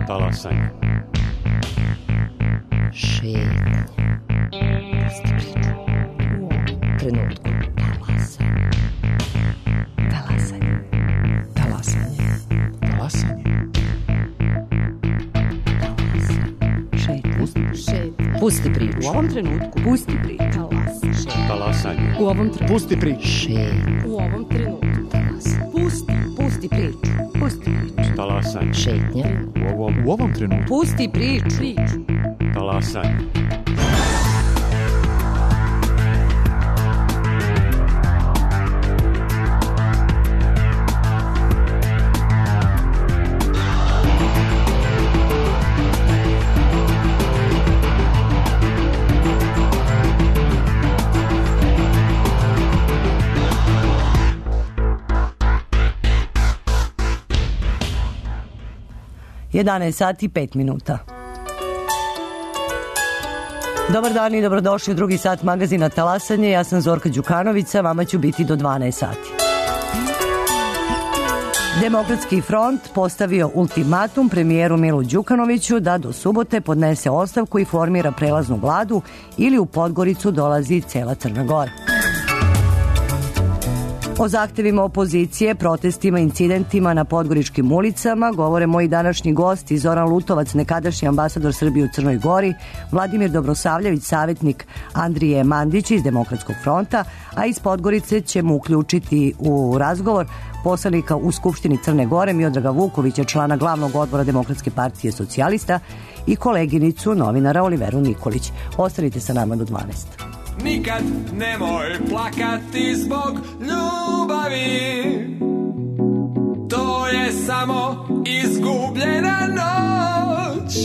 Talasanje. Šetnje. Pusti priču. U ovom trenutku. Talasanje. Talasanje. Talasanje. Pusti priču. U ovom trenutku. Pusti priču. Talasanje. U ovom trenutku. Pusti priču. U ovom trenutku. Pusti priču. Pusti priču. Talasanje. Šetnja. U ovom trenutku. Pusti priču. Talasanje. Sati i 5 minuta. Dobar dan i dobrodošli u drugi sat magazina Talasanje. Ja sam Zorka Đukanovića, vama ću biti do 12 sati. Demokratski front postavio ultimatum premijeru Milu Đukanoviću da do subote podnese ostavku i formira prelaznu vladu ili u Podgoricu dolazi cela Crna Gora. O zahtevima opozicije, protestima, incidentima na podgoričkim ulicama govore moji današnji gosti Zoran Lutovac, nekadašnji ambasador Srbije u Crnoj Gori, Vladimir Dobrosavljević, savjetnik Andrije Mandića iz Demokratskog fronta, a iz Podgorice ćemo uključiti u razgovor poslanika u Skupštini Crne Gore Miodraga Vukovića, člana glavnog odbora Demokratske partije socijalista, i koleginicu novinara Oliveru Nikolić. Ostanite sa nama do 12. Nikad nemoj plakati zbog ljubavi, to je samo izgubljena noć.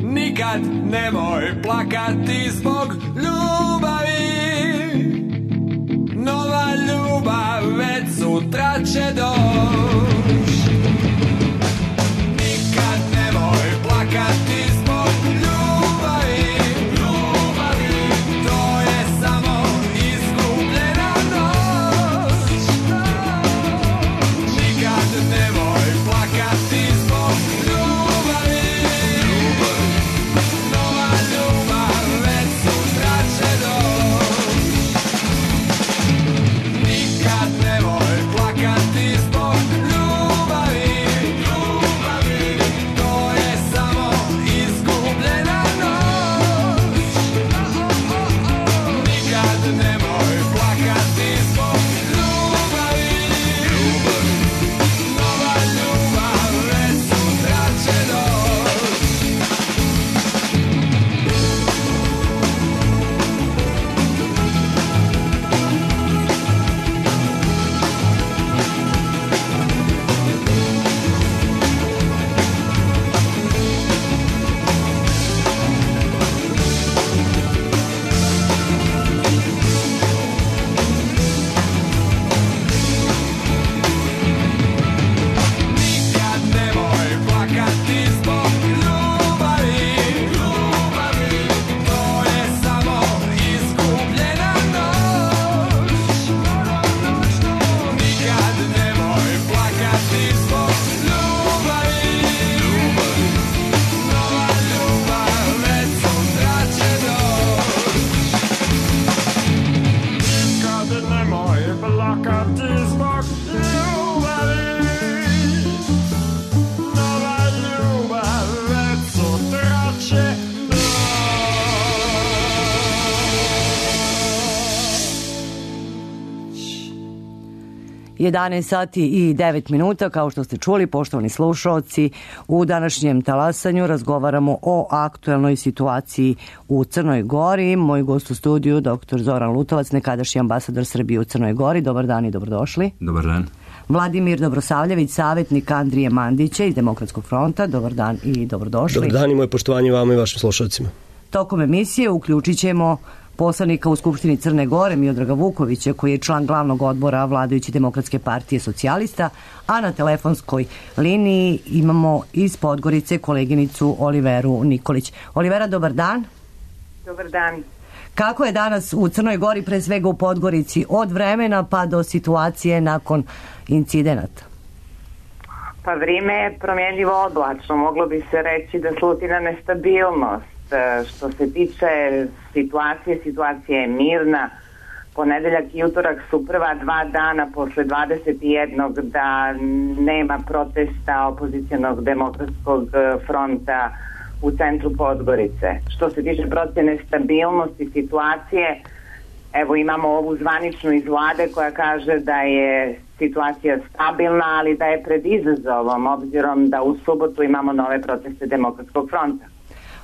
Nikad nemoj plakati zbog ljubavi, nova ljubav već sutra će doći. Nikad nemoj plakati zbog ljubavi, Sati i 9 minuta, kao što ste čuli, poštovani slušaoci, u današnjem Talasanju razgovaramo o aktuelnoj situaciji u Crnoj Gori. Moj gost u studiju, dr. Zoran Lutovac, nekadašnji ambasador Srbije u Crnoj Gori. Dobar dan i dobrodošli. Dobar dan. Vladimir Dobrosavljević, savjetnik Andrije Mandića iz Demokratskog fronta. Dobar dan i dobrodošli. Dobar dan i moje poštovanje vama i vašim slušalcima. Tokom emisije uključit ćemo poslanika u Skupštini Crne Gore Miodraga Vukovića, koji je član glavnog odbora vladajuće Demokratske partije socijalista, a na telefonskoj liniji imamo iz Podgorice koleginicu Oliveru Nikolić. Olivera, dobar dan. Dobar dan. Kako je danas u Crnoj Gori, pre svega u Podgorici, od vremena pa do situacije nakon incidenata? Pa vrijeme je promjenljivo oblačno, moglo bi se reći da sluti na nestabilnost. Što se tiče situacija je mirna. Ponedeljak i utorak su prva 2 dana posle 21 da nema protesta opozicionog demokratskog fronta u centru Podgorice. Što se tiče procjene stabilnosti situacije, evo imamo ovu zvaničnu iz vlade koja kaže da je situacija stabilna, ali da je pred izazovom, obzirom da u subotu imamo nove proteste demokratskog fronta.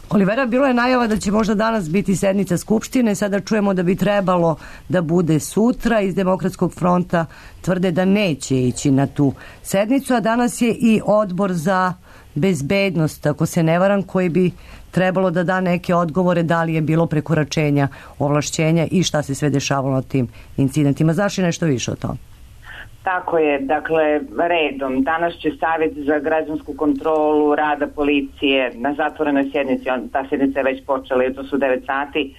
Olivera, bilo je najava da će možda danas biti sednica Skupštine, sada čujemo da bi trebalo da bude sutra. Iz Demokratskog fronta tvrde da neće ići na tu sednicu, a danas je i odbor za bezbednost, ako se ne varam, koji bi trebalo da da neke odgovore da li je bilo prekoračenja ovlašćenja i šta se sve dešavalo na tim incidentima. Znaš li nešto više o tom? Tako je, dakle, redom. Danas će Savjet za građansku kontrolu rada policije na zatvorenoj sjednici, ta sjednica je već počela i to su 9 sati,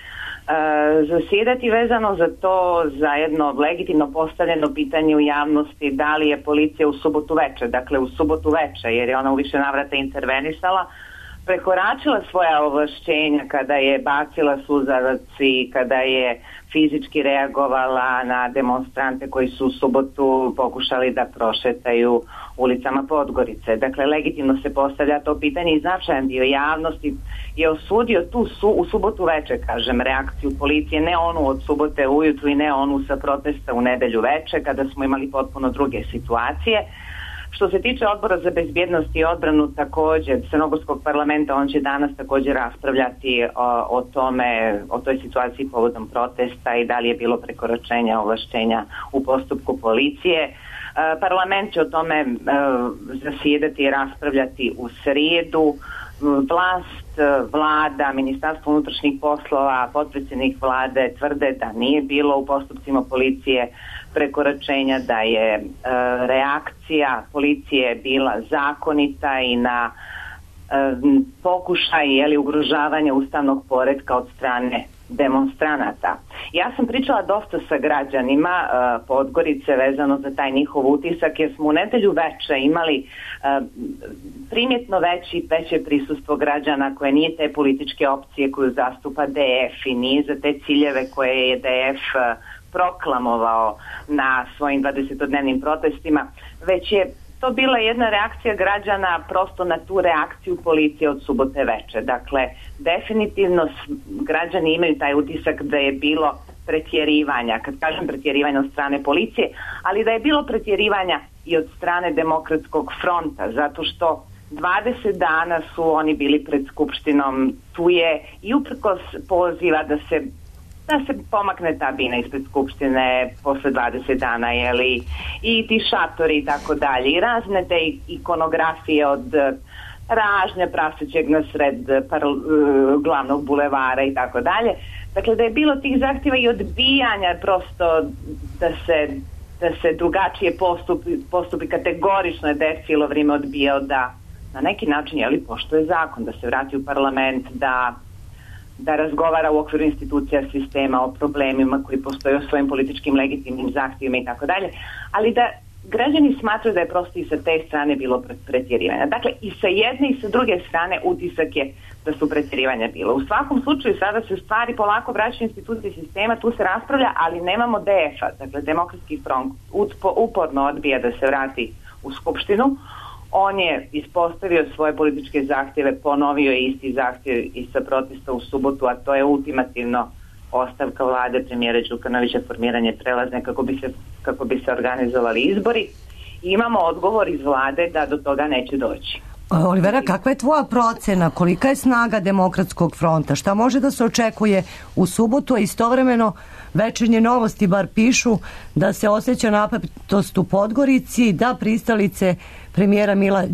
zasjedati vezano za to, za jedno legitimno postavljeno pitanje u javnosti da li je policija u subotu veče, jer je ona u više navrata intervenisala, prekoračila svoja ovlašćenja kada je bacila suzavac i kada je fizički reagovala na demonstrante koji su u subotu pokušali da prošetaju ulicama Podgorice. Dakle, legitimno se postavlja to pitanje i značajan dio javnosti je osudio u subotu veče, reakciju policije, ne onu od subote ujutru i ne onu sa protesta u nedelju veče, kada smo imali potpuno druge situacije. Što se tiče odbora za bezbjednost i odbranu, također Crnogorskog parlamenta, on će danas također raspravljati o toj situaciji povodom protesta i da li je bilo prekoračenja ovlašćenja u postupku policije. Parlament će o tome zasjedati i raspravljati u srijedu. Vlada, Ministarstvo unutrašnjih poslova, potpredsjednik vlade tvrde da nije bilo u postupcima policije prekoračenja, da je reakcija policije bila zakonita i na pokušaj ugrožavanja ustavnog poretka od strane demonstranata. Ja sam pričala dosta sa građanima Podgorice vezano za taj njihov utisak, jer smo u nedelju veče imali primjetno veće prisustvo građana koje nije te političke opcije koju zastupa DF i nije za te ciljeve koje je DF proklamovao na svojim 20-dnevnim protestima, već je to bila jedna reakcija građana prosto na tu reakciju policije od subote veče. Dakle, definitivno građani imaju taj utisak da je bilo pretjerivanja, kad kažem pretjerivanja od strane policije, ali da je bilo pretjerivanja i od strane Demokratskog fronta, zato što 20 dana su oni bili pred Skupštinom, tu je i uprkos poziva da se pomakne ta bina ispred Skupštine posle 20 dana, i ti šatori i tako dalje, i razne te ikonografije od ražnja prasećeg na sred glavnog bulevara i tako dalje. Dakle, da je bilo tih zahtjeva i odbijanja prosto da se drugačije postupi, kategorično je DF cijelo vrijeme odbijao da na neki način poštuje zakon, da se vrati u parlament, da razgovara u okviru institucija sistema o problemima koji postoje, o svojim političkim legitimnim zahtjevima i tako dalje, ali da građani smatraju da je prosto i sa te strane bilo pretjerivanja. Dakle, i sa jedne i sa druge strane utisak je da su pretjerivanja bilo. U svakom slučaju sada se stvari polako vraćaju institucije sistema, tu se raspravlja, ali nemamo DF-a, dakle Demokratski front uporno odbija da se vrati u Skupštinu. On je ispostavio svoje političke zahtjeve, ponovio je isti zahtjev i sa protesta u subotu, a to je ultimativno ostavka vlade premijera Đukanovića, formiranje prelazne kako bi se organizovali izbori. I imamo odgovor iz vlade da do toga neće doći. Olivera, kakva je tvoja procena? Kolika je snaga Demokratskog fronta? Šta može da se očekuje u subotu, a istovremeno Večernje novosti bar pišu da se osjeća napetost u Podgorici, da pristalice premijera Mila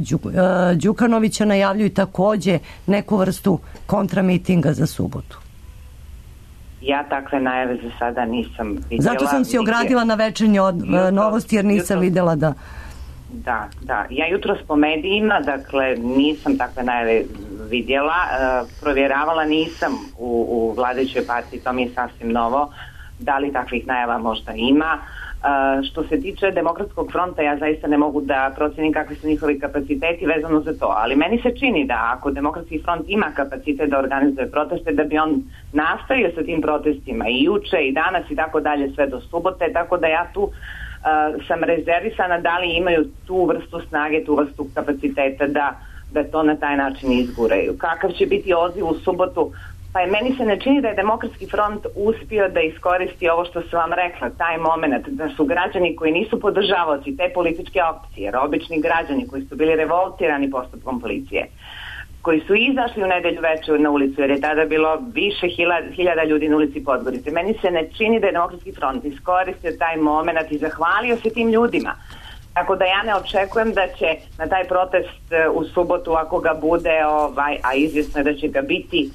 Đukanovića najavljuju takođe neku vrstu kontramitinga za subotu. Ja takve najave za sada nisam vidjela. Zato sam si ogradila na Večernje novosti jer nisam vidjela da... Da. Ja jutros po medijima, dakle, nisam takve najave vidjela. Provjeravala nisam u vladajućoj partiji, to mi je sasvim novo, da li takvih najava možda ima. Što se tiče Demokratskog fronta, ja zaista ne mogu da procenim kakvi su njihovi kapaciteti vezano za to, ali meni se čini da ako Demokratski front ima kapacitet da organizuje proteste, da bi on nastavio sa tim protestima i juče i danas i tako dalje sve do subote, tako da ja tu sam rezervisana da li imaju tu vrstu snage, tu vrstu kapaciteta da to na taj način izguraju. Kakav će biti odziv u subotu? Pa meni se ne čini da je Demokratski front uspio da iskoristi ovo što sam vam rekla, taj moment da su građani koji nisu podržavaoci te političke opcije, jer obični građani koji su bili revoltirani postupkom policije, koji su izašli u nedelju veče na ulicu, jer je tada bilo više hiljada ljudi na ulici Podgorice. Meni se ne čini da je Demokratski front iskoristio taj moment i zahvalio se tim ljudima. Tako da ja ne očekujem da će na taj protest u subotu, ako ga bude, a izvjesno je da će ga biti,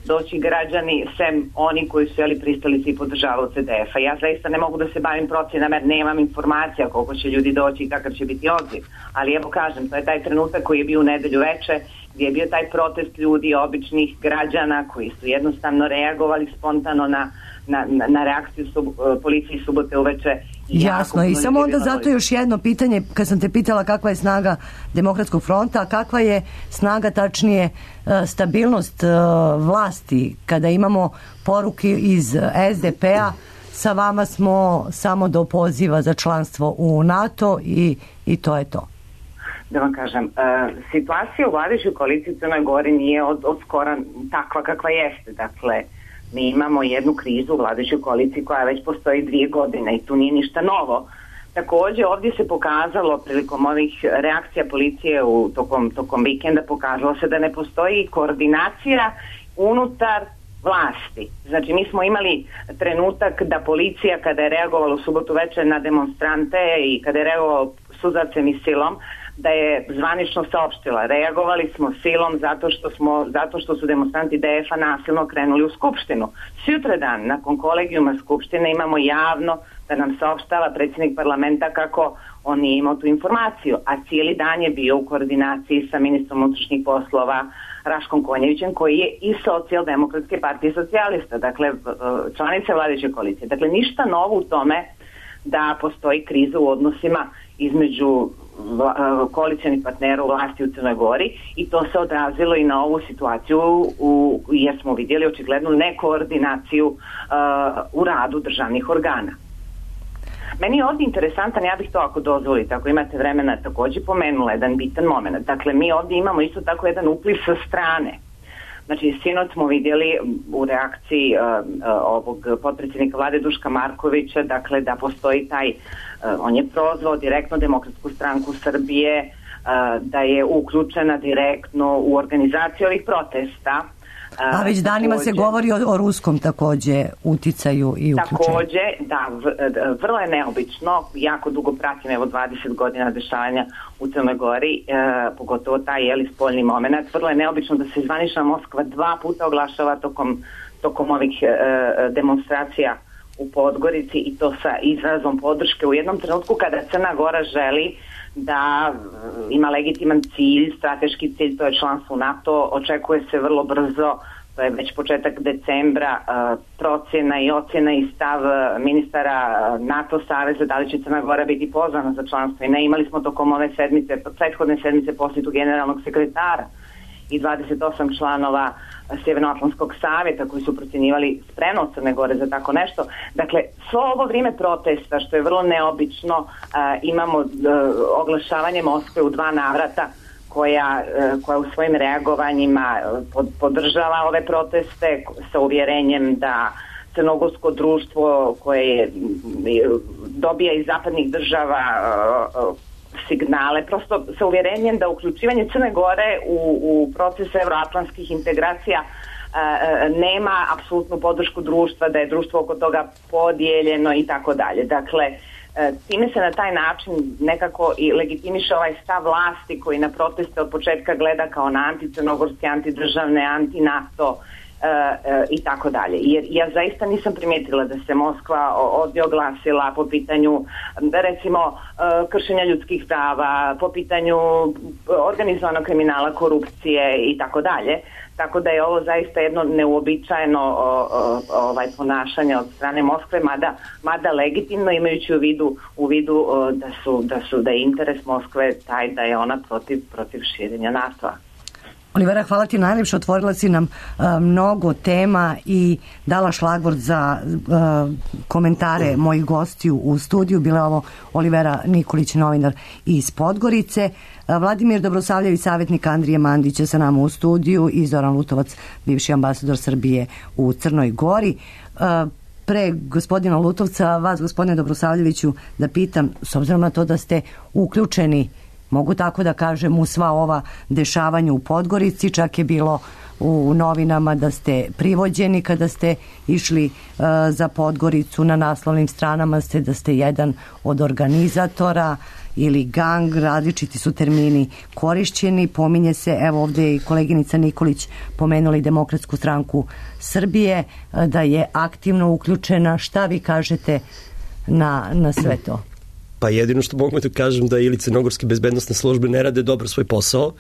doći građani, sem oni koji su pristalici i podržavaju CDF-a. Ja zaista ne mogu da se bavim procjenama jer nemam informacija koliko će ljudi doći i kakav će biti odziv. Ali evo kažem, to je taj trenutak koji je bio u nedelju veče, gdje je bio taj protest ljudi, običnih građana koji su jednostavno reagovali spontano na reakciju policije subote uveče. Jasno, i samo onda zato još jedno pitanje, kad sam te pitala kakva je snaga Demokratskog fronta, a kakva je snaga, tačnije stabilnost vlasti, kada imamo poruke iz SDP-a, sa vama smo samo do poziva za članstvo u NATO i to je to. Da vam kažem, situacija u vladajućoj koaliciji u Crnoj Gori nije od skora takva kakva jeste. Dakle, mi imamo jednu krizu u vladajućoj koaliciji koja već postoji 2 godine i tu nije ništa novo. Također ovdje se pokazalo prilikom ovih reakcija policije tokom vikenda, pokazalo se da ne postoji koordinacija unutar vlasti. Znači mi smo imali trenutak da policija kada je reagovala u subotu večer na demonstrante i kada je reagovala suzavcem i silom, da je zvanično saopštila. Reagovali smo silom zato što su demonstranti DF-a nasilno krenuli u Skupštinu. Sutradan, nakon kolegijuma Skupštine, imamo javno da nam saopštava predsjednik parlamenta kako on nije imao tu informaciju, a cijeli dan je bio u koordinaciji sa ministrom unutrašnjih poslova Raškom Konjevićem, koji je iz Socijaldemokratske partije socijalista, dakle članica vladajuće koalicije. Dakle, ništa novo u tome da postoji kriza u odnosima između koalicionih partnera u vlasti u Crnoj Gori i to se odrazilo i na ovu situaciju jer smo vidjeli očiglednu nekoordinaciju u radu državnih organa. Meni je ovdje interesantan, ja bih to ako dozvolite, ako imate vremena, također pomenula jedan bitan moment. Dakle, mi ovdje imamo isto tako jedan upliv sa strane. Znači, sinoć smo vidjeli u reakciji ovog potpredsjednika vlade Duška Markovića, dakle, da postoji taj, on je prozvao direktno Demokratsku stranku Srbije, da je uključena direktno u organizaciju ovih protesta. A već danima se govori o ruskom također uticaju i uključenju. Također, da, vrlo je neobično, jako dugo pratim, evo 20 godina dešavanja u Crnoj Gori, pogotovo taj spoljni moment, vrlo je neobično da se zvanična Moskva 2 puta oglašava tokom ovih demonstracija u Podgorici i to sa izrazom podrške u jednom trenutku kada Crna Gora želi da ima legitiman cilj, strateški cilj, to je članstvo u NATO, očekuje se vrlo brzo, to je već početak decembra, procjena i ocjena i stav ministara NATO saveza, da li će Crna Gora biti pozvana za članstvo i ne. Imali smo tokom ove prethodne sedmice posjetu generalnog sekretara i 28 članova Sjevernoatlantskog savjeta koji su procjenjivali spremnost Crne Gore za tako nešto. Dakle, svo ovo vrijeme protesta, što je vrlo neobično, imamo oglašavanje Moskve u 2 navrata koja u svojim reagovanjima podržava ove proteste sa uvjerenjem da crnogorsko društvo koje dobija iz zapadnih država signale, prosto sa uvjerenjem da uključivanje Crne Gore u proces euroatlantskih integracija nema apsolutnu podršku društva, da je društvo oko toga podijeljeno i tako dalje. Dakle, time se na taj način nekako i legitimiše ovaj stav vlasti koji na proteste od početka gleda kao na anticrnogorske, antidržavne, anti-NATO i tako dalje. Jer ja zaista nisam primijetila da se Moskva ovdje oglasila po pitanju recimo kršenja ljudskih prava, po pitanju organizovanog kriminala, korupcije i tako dalje. tako da je ovo zaista jedno neuobičajeno ponašanje od strane Moskve, mada legitimno, imajući u vidu da je interes Moskve taj da je ona protiv širenja NATO-a. Olivera, hvala ti najljepše, otvorila si nam mnogo tema i dala šlagvort za komentare mojih gostiju u studiju. Bila je ovo Olivera Nikolić, novinar iz Podgorice, Vladimir Dobrosavljević, savjetnik Andrije Mandića sa nama u studiju i Zoran Lutovac, bivši ambasador Srbije u Crnoj Gori. Pre gospodina Lutovca, vas, gospodine Dobrosavljeviću, da pitam, s obzirom na to da ste uključeni, mogu tako da kažem, u sva ova dešavanja u Podgorici, čak je bilo u novinama da ste privođeni kada ste išli za Podgoricu, na naslovnim stranama ste da ste jedan od organizatora ili gang, različiti su termini korišćeni, pominje se, evo ovdje je i koleginica Nikolić pomenula i Demokratsku stranku Srbije, da je aktivno uključena. Šta vi kažete na sve to? Pa jedino što mogu da kažem da ili crnogorske bezbednostne službe ne rade dobro svoj posao,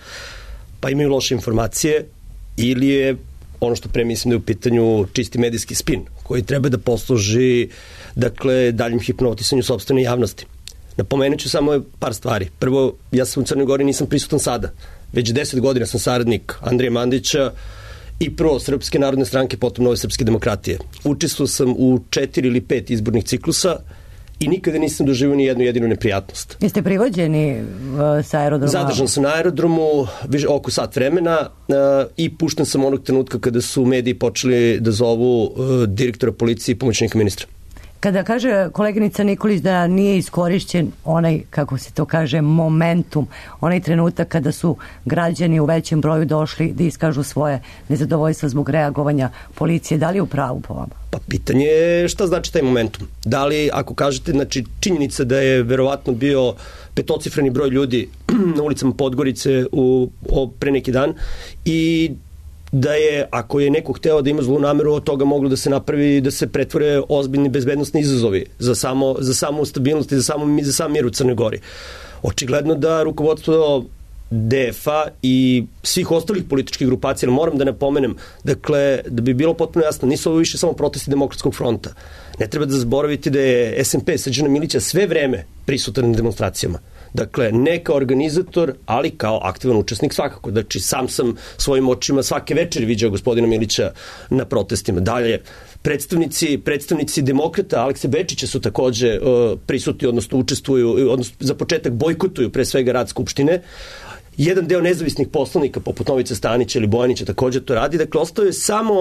pa imaju loše informacije, ili je ono što pre mislim da je u pitanju čisti medijski spin, koji treba da posluži, dakle, daljim hipnotisanju sopstvene javnosti. Napomenut ću samo par stvari. Prvo, ja sam u Crnoj Gori, nisam prisutan sada. Već 10 godina sam saradnik Andrije Mandića i prvo Srpske narodne stranke, potom Nove srpske demokratije. Učestvovao sam u 4 ili 5 izbornih ciklusa i nikada nisam doživio ni jednu jedinu neprijatnost. Jeste privođeni sa aerodroma? Zadržan sam na aerodromu oko sat vremena i pušten sam onog trenutka kada su mediji počeli da zovu direktora policije i pomoćnika ministra. Kada kaže koleginica Nikolić da nije iskorišćen onaj, kako se to kaže, momentum, onaj trenutak kada su građani u većem broju došli da iskažu svoje nezadovoljstva zbog reagovanja policije, da li je u pravu po vama? Pa pitanje je šta znači taj momentum. Da li, ako kažete, znači činjenica da je verovatno bio petocifreni broj ljudi na ulicama Podgorice pre neki dan i da je, ako je neko hteo da ima zlu nameru, od toga moglo da se napravi, da se pretvore ozbiljni bezbednostni izazovi za samu stabilnost i za sam mir u Crnoj Gori. Očigledno da rukovodstvo DF-a i svih ostalih političkih grupacija, moram da napomenem, dakle, da bi bilo potpuno jasno, nisu ovo više samo protesti Demokratskog fronta. Ne treba da zaboraviti da je SMP Srđana Milića sve vreme prisutan na demonstracijama. Dakle, ne kao organizator, ali kao aktivan učesnik svakako. Znači, sam svojim očima svake večeri viđao gospodina Milića na protestima. Dalje, predstavnici demokrata Alekse Bečića su takođe prisutni, odnosno učestvuju, odnosno za početak bojkotuju pre svega rad Skupštine. Jedan deo nezavisnih poslanika, poput Novice Stanića ili Bojanića, također to radi. Dakle, ostao je samo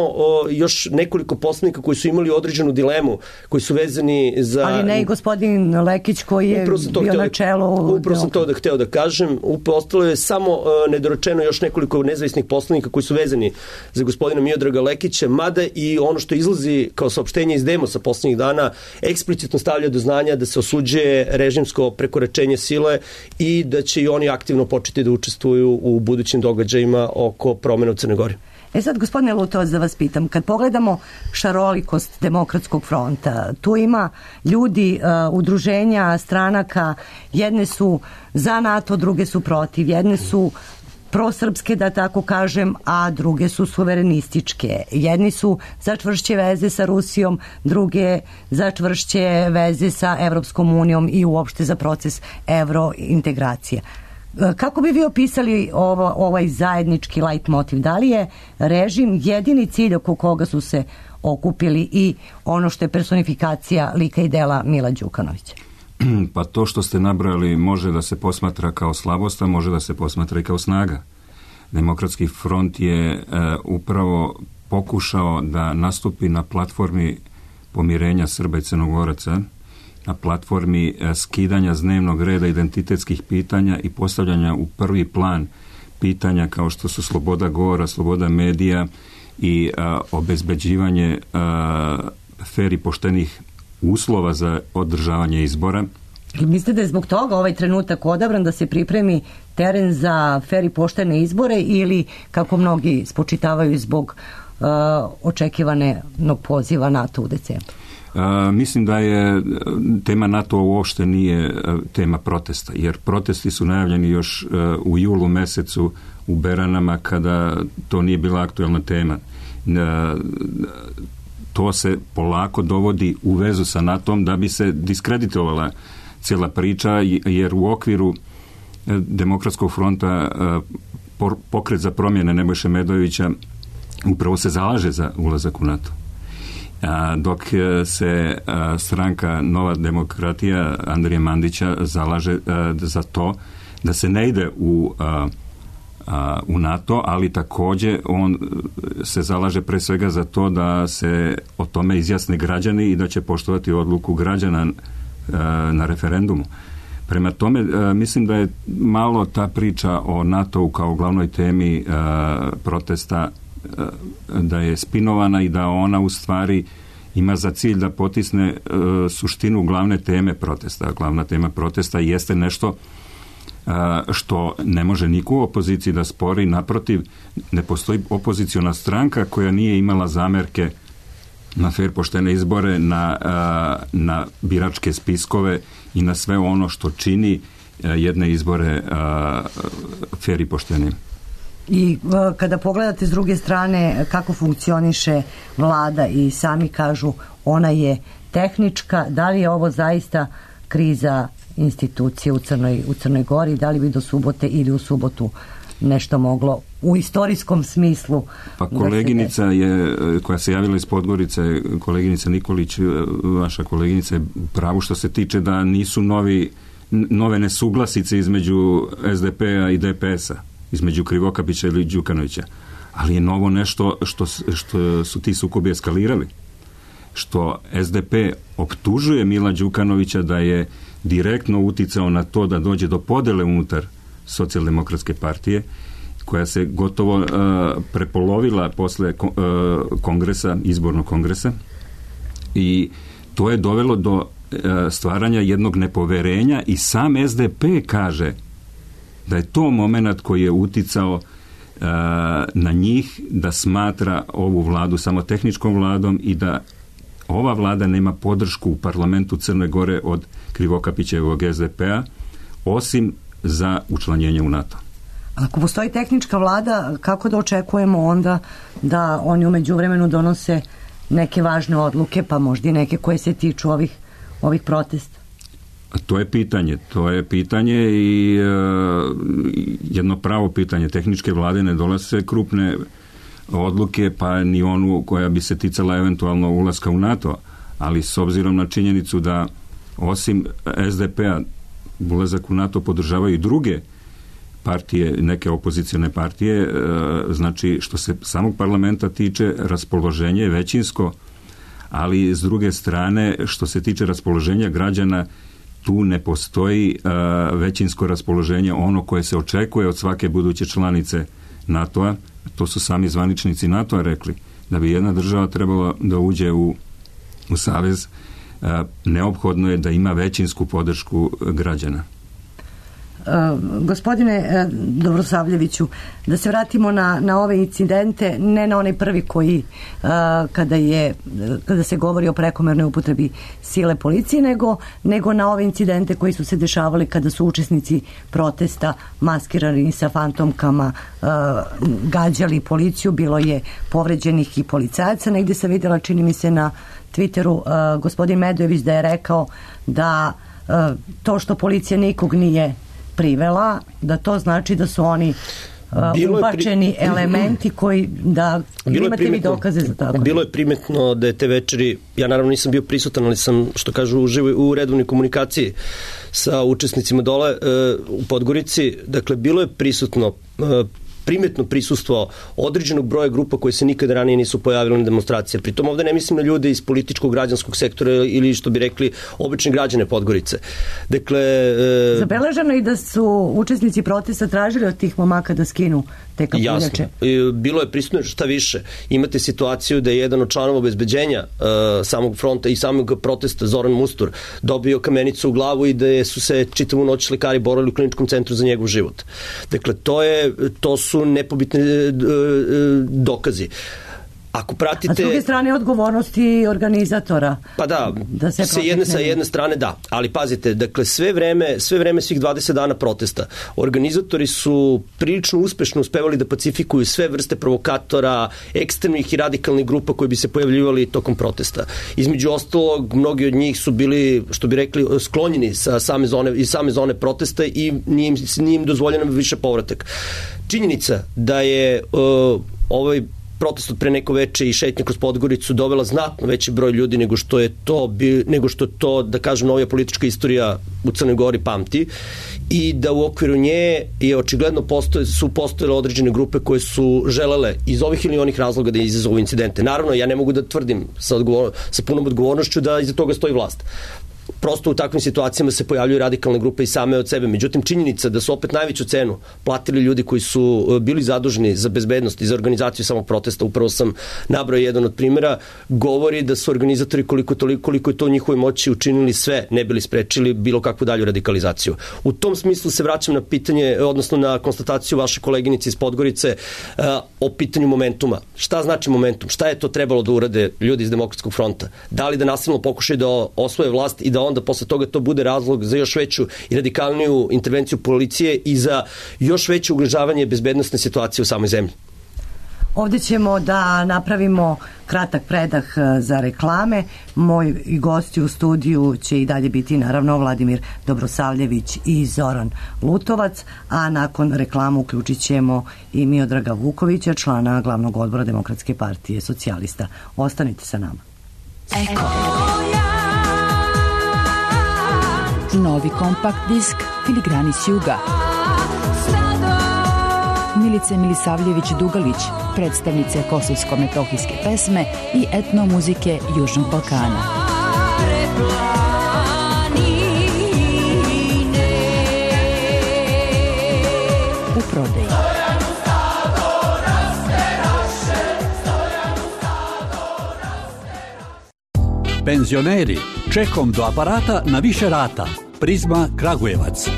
još nekoliko poslanika koji su imali određenu dilemu, koji su vezani za... Ali ne i gospodin Lekić koji je bio na čelu... Upravo sam to hteo da kažem. Ostalo je samo nedorečeno još nekoliko nezavisnih poslanika koji su vezani za gospodina Miodraga Lekića, mada i ono što izlazi kao saopštenje iz Demosa poslednjih dana eksplicitno stavlja do znanja da se osuđuje režimsko prekoračenje sile i da će i oni aktivno početi da učestvuju u budućim događajima oko promjena u Crnoj Gori. Sad, gospodine Lutovac, da vas pitam, kad pogledamo šarolikost Demokratskog fronta, tu ima ljudi, udruženja, stranaka, jedne su za NATO, druge su protiv, jedne su prosrpske, da tako kažem, a druge su suverenističke. Jedni su za čvršće veze sa Rusijom, druge za čvršće veze sa Evropskom unijom i uopšte za proces evrointegracije. Kako bi vi opisali ovaj zajednički leitmotiv? Da li je režim jedini cilj oko koga su se okupili i ono što je personifikacija lika i dela Mila Đukanovića? Pa to što ste nabrojali može da se posmatra kao slabost, a može da se posmatra i kao snaga. Demokratski front je upravo pokušao da nastupi na platformi pomirenja Srba i Crnogoraca, na platformi skidanja s dnevnog reda identitetskih pitanja i postavljanja u prvi plan pitanja kao što su sloboda govora, sloboda medija i obezbeđivanje fer i poštenih uslova za održavanje izbora. Mislite da je zbog toga ovaj trenutak odabran da se pripremi teren za fer i poštene izbore ili, kako mnogi spočitavaju, zbog očekivanog poziva NATO u decembru? Mislim da je tema NATO uopšte nije tema protesta, jer protesti su najavljeni još u julu mesecu u Beranama kada to nije bila aktuelna tema. To se polako dovodi u vezu sa NATO-om da bi se diskreditovala cijela priča, jer u okviru Demokratskog fronta pokret za promjene Nebojše Medojevića upravo se zalaže za ulazak u NATO. Dok se stranka Nova demokratija Andrije Mandića zalaže za to da se ne ide u NATO, ali također on se zalaže pre svega za to da se o tome izjasne građani i da će poštovati odluku građana na referendumu. Prema tome, mislim da je malo ta priča o NATO-u kao glavnoj temi protesta da je spinovana i da ona u stvari ima za cilj da potisne suštinu glavne teme protesta. Glavna tema protesta jeste nešto što ne može niko u opoziciji da spori. Naprotiv, ne postoji opoziciona stranka koja nije imala zamerke na fer poštene izbore, na biračke spiskove i na sve ono što čini jedne izbore fer i poštene. I kada pogledate s druge strane kako funkcioniše vlada i sami kažu ona je tehnička, da li je ovo zaista kriza institucije u Crnoj Gori, da li bi do subote ili u subotu nešto moglo u istorijskom smislu? Pa koleginica je, koja se javila iz Podgorice, koleginica Nikolić, vaša koleginica je pravo što se tiče da nisu nove nesuglasice između SDP-a i DPS-a, između Krivokapića ili Đukanovića. Ali je novo nešto što su ti sukobi eskalirali. Što SDP optužuje Mila Đukanovića da je direktno uticao na to da dođe do podele unutar Socijaldemokratske partije, koja se gotovo prepolovila posle kongresa, izbornog kongresa, i to je dovelo do stvaranja jednog nepoverenja i sam SDP kaže da je to moment koji je uticao na njih da smatra ovu vladu samo tehničkom vladom i da ova vlada nema podršku u parlamentu Crne Gore od Krivokapićevog SDP-a, osim za učlanjenje u NATO. Ako postoji tehnička vlada, kako da očekujemo onda da oni u međuvremenu donose neke važne odluke, pa možda i neke koje se tiču ovih protesta? To je pitanje i jedno pravo pitanje. Tehničke vlade ne donose krupne odluke, pa ni onu koja bi se ticala eventualno ulaska u NATO, ali s obzirom na činjenicu da osim SDP-a ulazak u NATO podržavaju i druge partije, neke opozicione partije, znači što se samog parlamenta tiče, raspoloženje je većinsko, ali s druge strane što se tiče raspoloženja građana, tu ne postoji većinsko raspoloženje, ono koje se očekuje od svake buduće članice NATO-a. To su sami zvaničnici NATO-a rekli, da bi jedna država trebala da uđe u savez, neophodno je da ima većinsku podršku građana. Gospodine Dobrosavljeviću, da se vratimo na ove incidente, ne na onaj prvi koji kada se govori o prekomernoj upotrebi sile policije, nego na ove incidente koji su se dešavali kada su učesnici protesta maskirani sa fantomkama gađali policiju. Bilo je povređenih i policajaca. Negdje sam vidjela, čini mi se na Twitteru, gospodin Medojević da je rekao da to što policija nikog nije privela, da to znači da su oni ubačeni elementi koji da imate vi dokaze za tako. Bilo je primetno da je te večeri, ja naravno nisam bio prisutan, ali sam, što kažu, u redovnoj komunikaciji sa učesnicima dole u Podgorici. Dakle, bilo je primetno prisustvo određenog broja grupa koje se nikada ranije nisu pojavile na demonstracije. Pritom ovde ne mislim na ljude iz političkog građanskog sektora ili, što bi rekli, obični građane Podgorice. Dakle, zabeleženo i da su učesnici protesta tražili od tih momaka da skinu te kapuljače. Jasno. Bilo je prisutno šta više. Imate situaciju da je jedan od članova obezbeđenja samog fronta i samog protesta, Zoran Mustur, dobio kamenicu u glavu i da su se čitavu noć lekari borili u kliničkom centru za njegov život. Dakle, to su nepobitni dokazi. Ako pratite... A s druge strane odgovornosti organizatora. Pa da, se sa jedne strane da, ali pazite, dakle sve vreme svih 20 dana protesta, organizatori su prilično uspešno uspevali da pacifikuju sve vrste provokatora, ekstremnih i radikalnih grupa koji bi se pojavljivali tokom protesta. Između ostalog, mnogi od njih su bili, što bi rekli, sklonjeni sa same zone protesta i nije im dozvoljeno više povratak. Činjenica da je ovaj protest od pre neko veče i šetnja kroz Podgoricu dovela znatno veći broj ljudi nego što to, da kažem, novija politička istorija u Crnoj Gori pamti, i da u okviru nje je očigledno su postojale određene grupe koje su želele iz ovih ili onih razloga da izazovu incidente. Naravno, ja ne mogu da tvrdim sa punom odgovornošću da iza toga stoji vlast. Prosto u takvim situacijama se pojavljuju radikalne grupe i same od sebe. Međutim, činjenica da su opet najveću cenu platili ljudi koji su bili zaduženi za bezbednost i za organizaciju samog protesta, upravo sam nabrao jedan od primjera, govori da su organizatori koliko je to u njihovoj moći učinili sve, ne bili sprečili bilo kakvu dalju radikalizaciju. U tom smislu se vraćam na pitanje, odnosno na konstataciju vaše koleginice iz Podgorice o pitanju momentuma. Šta znači momentum? Šta je to trebalo da urade ljudi iz Demokratskog fronta? Da li da nasilno pokušaju da osvoje vlast i da onda posle toga to bude razlog za još veću i radikalniju intervenciju policije i za još veće ugrožavanje bezbednosne situacije u samoj zemlji? Ovdje ćemo da napravimo kratak predah za reklame. Moji gosti u studiju će i dalje biti naravno Vladimir Dobrosavljević i Zoran Lutovac, a nakon reklamu uključit ćemo i Miodraga Vukovića, člana glavnog odbora Demokratske partije socijalista. Ostanite sa nama. Eko. Novi kompakt disk Filigrani s juga. Milice Milisavljević-Dugalić, predstavnice kosovsko-metohijske pesme i etno muzike Južnog Balkana. U prodaji. Penzioneri, čekom do aparata na više rata. Prizma Kragujevac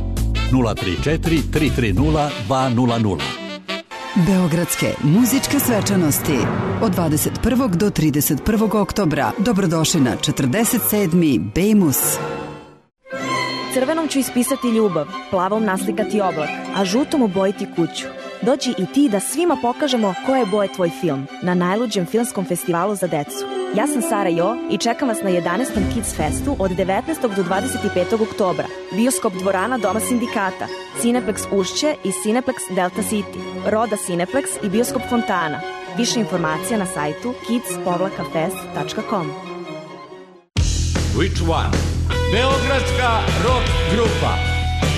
034 330 200. Beogradske muzičke svečanosti od 21. do 31. oktobra. Dobrodošli na 47. Bejmus. Crvenom ću ispisati ljubav, plavom naslikati oblak, a žutom obojiti kuću. Dođi i ti da svima pokažemo koje je boje tvoj film na najluđem filmskom festivalu za decu. Ja sam Sara Jo i čekam vas na 11. Kids Festu od 19. do 25. oktobra. Bioskop dvorana Doma sindikata, Cineplex Ušće i Cineplex Delta City, Roda Cineplex i Bioskop Fontana. Više informacija na sajtu kids-fest.com. Which one? Beogradska rock grupa.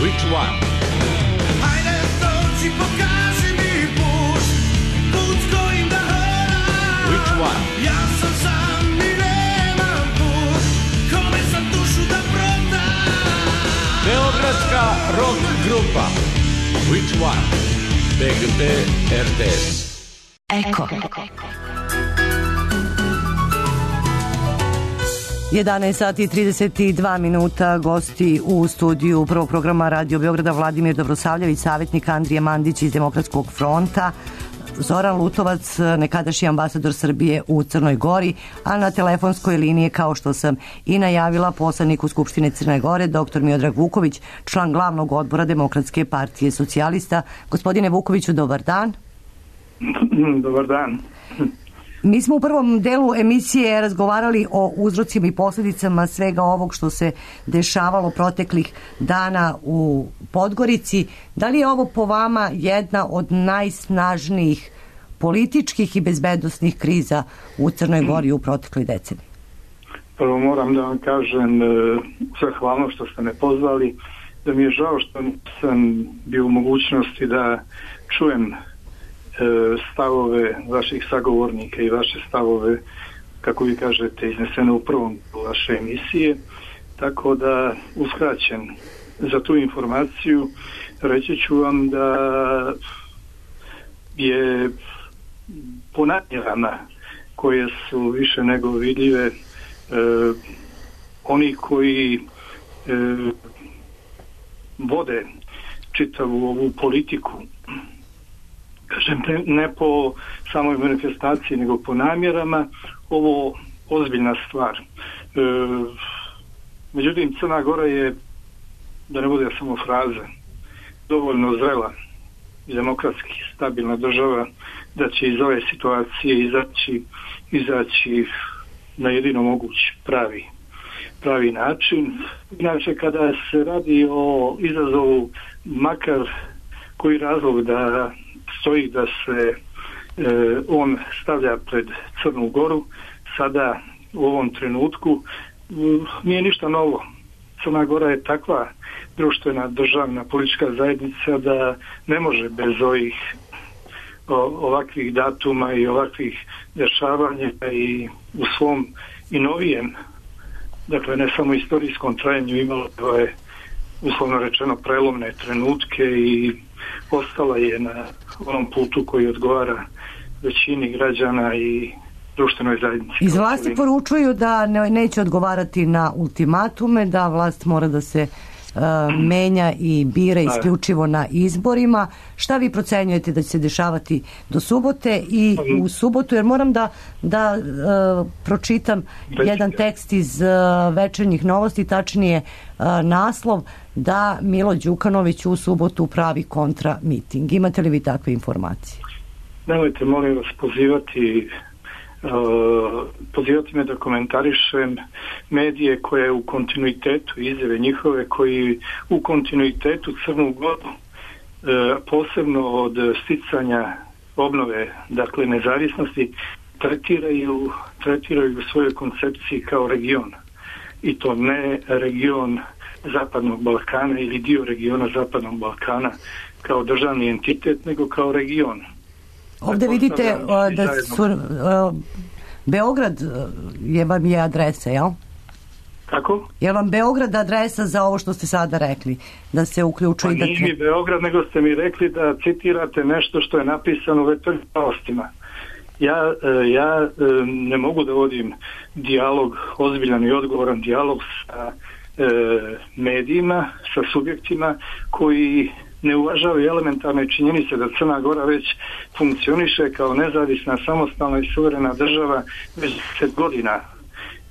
Which one? Hajde dođi, pokaži mi put, put s kojim da hodam. Which one? Ja sam sam i nemam put, kome sam dušu da prodam. Beogradska rock grupa. Which one? BGT RTS. Eko. 11 sati i 32 minuta, gosti u studiju prvog programa Radio Beograda Vladimir Dobrosavljević, savjetnik Andrije Mandić iz Demokratskog fronta, Zoran Lutovac, nekadašnji ambasador Srbije u Crnoj Gori, a na telefonskoj liniji, kao što sam i najavila, poslanik u Skupštine Crne Gore, dr. Miodrag Vuković, član glavnog odbora Demokratske partije socijalista. Gospodine Vukoviću, dobar dan. Dobar dan. Mi smo u prvom delu emisije razgovarali o uzrocima i posljedicama svega ovog što se dešavalo proteklih dana u Podgorici. Da li je ovo po vama jedna od najsnažnijih političkih i bezbednosnih kriza u Crnoj Gori u protekloj deceniji? Prvo moram da vam kažem zahvalno što ste me pozvali, da mi je žao što sam bio u mogućnosti da čujem stavove vaših sagovornika i vaše stavove, kako vi kažete, iznesene u prvom vaše emisije, tako da uskraćen za tu informaciju reći ću vam da je ponadnjena koje su više nego vidljive oni koji vode čitavu ovu politiku kažem, ne po samoj manifestaciji, nego po namjerama, ovo ozbiljna stvar. Međutim, Crna Gora je, da ne bude samo fraza, dovoljno zrela i demokratski stabilna država da će iz ove situacije izaći na jedino mogući pravi način. Inače, kada se radi o izazovu, makar koji razlog da stoji da se on stavlja pred Crnu Goru, sada u ovom trenutku nije ništa novo. Crna Gora je takva društvena, državna, politička zajednica da ne može bez ovakvih datuma i ovakvih dešavanja i u svom i novijem, dakle ne samo istorijskom trajanju, imalo je uslovno rečeno prelomne trenutke i ostala je na onom putu koji odgovara većini građana i društvenoj zajednici. Iz vlasti poručuju da neće odgovarati na ultimatume, da vlast mora da se menja i bira isključivo na izborima. Šta vi procenjujete da će se dešavati do subote i u subotu? Jer moram da pročitam jedan tekst iz Večernjih novosti, tačnije naslov da Milo Đukanović u subotu pravi kontra miting. Imate li vi takve informacije? Nemojte, molim vas, pozivati me da komentarišem medije koje u kontinuitetu, izjave njihove koji u kontinuitetu Crnu Goru, posebno od sticanja obnove, dakle nezavisnosti, tretiraju u svojoj koncepciji kao region. I to ne region Zapadnog Balkana ili dio regiona Zapadnog Balkana kao državni entitet, nego kao region. Ovdje vidite da su Beograd vam je adresa, jel? Kako? Je vam Beograd adresa za ovo što ste sada rekli? Da se uključuje... Pa nije mi Beograd, nego ste mi rekli da citirate nešto što je napisano u Večernjim novostima. Ja ne mogu da vodim dijalog, ozbiljan i odgovoran dijalog sa medijima, sa subjektima koji ne uvažavaju elementarne činjenice da Crna Gora već funkcioniše kao nezavisna, samostalna i suverena država već 10 godina